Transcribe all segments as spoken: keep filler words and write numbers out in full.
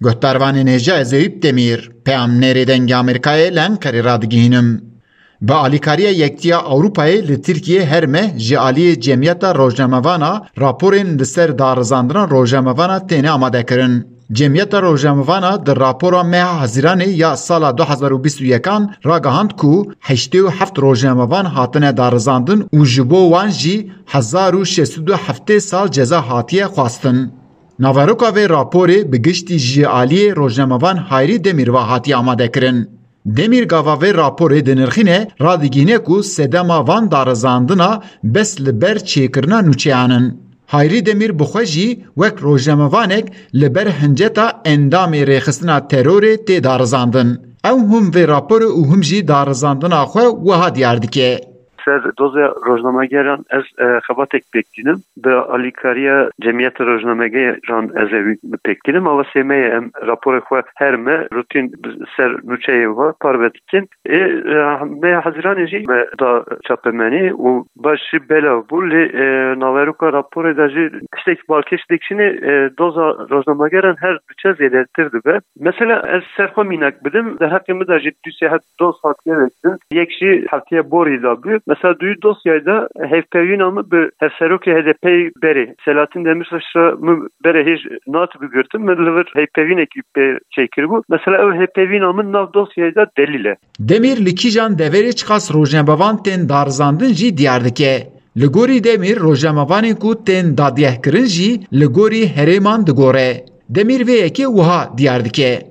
Guhdarvanên hêja, ez Eyüp Demîr, peyamnêrê Dengê Amerîkayê li Enqerê radigihînim. Bi alîkariya Yektiya Ewropayê li Tirkiyê her meh ji aliyê Cemiyeta Rojnamevana raporên li ser darizandina rojnamevana têne amadekirin. Cemiyeta Rojnamevana di rapora meha Hezîranê ya sala du hezar û bîst û yekan ragihand ku heştê û heft rojnamevan hatine darizandin û ji bo wan jî hezar û şeş sed û heftê sal ceza hatiye xwestin. Naveroka vê raporê bi giştî ji aliyê rojnamevan Hayrî Demîr ve hatiye amadekirin. Demîr gava vê raporê dinirxîne, radigihîne ku sedema van darizandina bes li ber çêkirina nûçeyan in. Hayrî Demîr bi xwe jî wek rojnamevanek li ber hinceta endamê rêxistina terorê tê darizandin. Ew him vê raporê û him jî darizandina xwe wiha diyar dike. Ser doza rojnamegeran ez, e, xebatek pêk tînim. Bi alîkariya Cemiyeta Rojnamegeran ez ê wî pêk tînim. Awasê me ye, em raporê xwe her me rutîn ser nûçeyê ve parve dikin. Ê, e, me Hezîranê jî me da çapemenî û baş jî belav bû. Lê, e, naveroka raporê de jî tiştek balkêş dikişîne, e, doza rojnamegeran her diçe zêdetir dibe. Mesela ez ser xwe mînak bidim, di heqê min de jî du sê het doz hatiye vekirin. Yek jî heftiye borî de bû. Mesela di wî dosyayê de hevpeyvîna min bi hevserokê H D P'yê berê, Selahattin Demirtaş re min berê hêj nehatibû girtin. Min li vir hevpeyvînekî pê çêkiribû. Mesela ew hevpeyvîna min nav dosyayê de delîl e. Demîr li kîjan deverê çiqas rojnamevan tên darizandin jî diyar dike. Li gorî Demîr, rojnamevanên ku tên dadgehkirin jî li gorî herêman digore. Demîr vê yekê wiha diyar dike.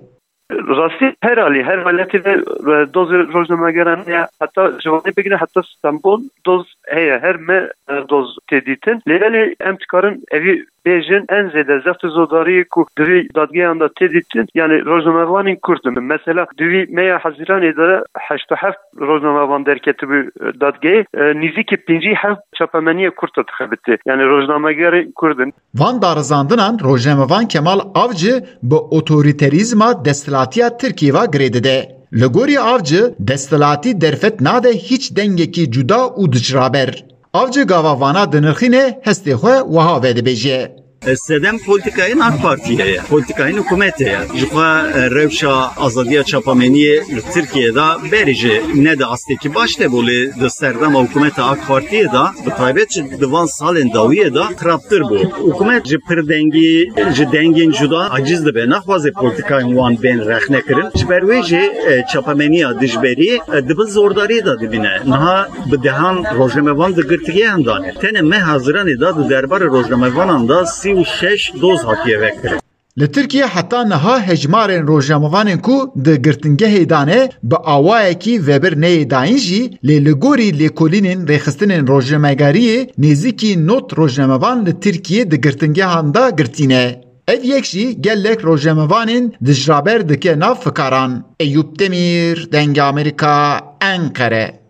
Rastî her alî, her welatî de, e, doz rojnamegeran heye. Heta ji Wanê bigire heta Stenbol doz heye. Her me, e, doz tê dîtin. Lê belê em dikarin evî bêjin, en zêde zeft û zodariyê ku di vî dadgeyan de tê dîtin, yani rojnamevanên Kurd in. Mesela di vî meya Hezîranê de heşt û heft rojnamevan derketibû, e, dadgehê, e, nîzîkî pêncî heft çapemeniyê Kurd de dixebitê. Yani rojnamegerên Kurd in. Van darizandinan rojnamevan Kemal Avcı bi otorîterîzma desthilatiya Tirkiyê ve girê dide. Li gorî Avcı, desthilatî derfet nade hîç dengekî cuda û dijraber. Avcı gava vana dinirxîne, hestê xwe wiha vedibêje. Sedem polîtîkayên AK Partiyê ye, polîtîkayên hikûmetê ye. Ji xwe, e, rewşa azadiya çapameniyê li Tirkiyê de berê jî ne di astekî baş de bû, lê di serdema hikûmeta AK Partiyê de, bi taybet jî di van salên dawiyê de xirabtir bû. Hikûmet ji pirdengî, ji dengên cuda aciz dibe, naxwaze polîtîkayên wan bên rexnekirin. Ji ber wê jî, e, çapemeniya dijberî, e, di bin zordariyê de dimîne. Niha bi dehan rojnamevan di girtîgehan de ne. Tenê meha Hezîranê de di derbarê rojnamevanan de sî û şeş doz hatiye vekirin. Li Tirkiye heta niha hejmarên rojnamevanên ku di girtingehê de ne bi awayekî vebir neyê dayîn jî, lê li gorî lêkolînên rêxistinên rojnamegeriyê nêzîkî nod rojnamevan li Tirkiye di girtingehan de girtî ne. Ev yek jî gelek rojnamevanên dijraber dike nav fikaran. Eyûp Demîr, Dengê Amerîka, Enqere.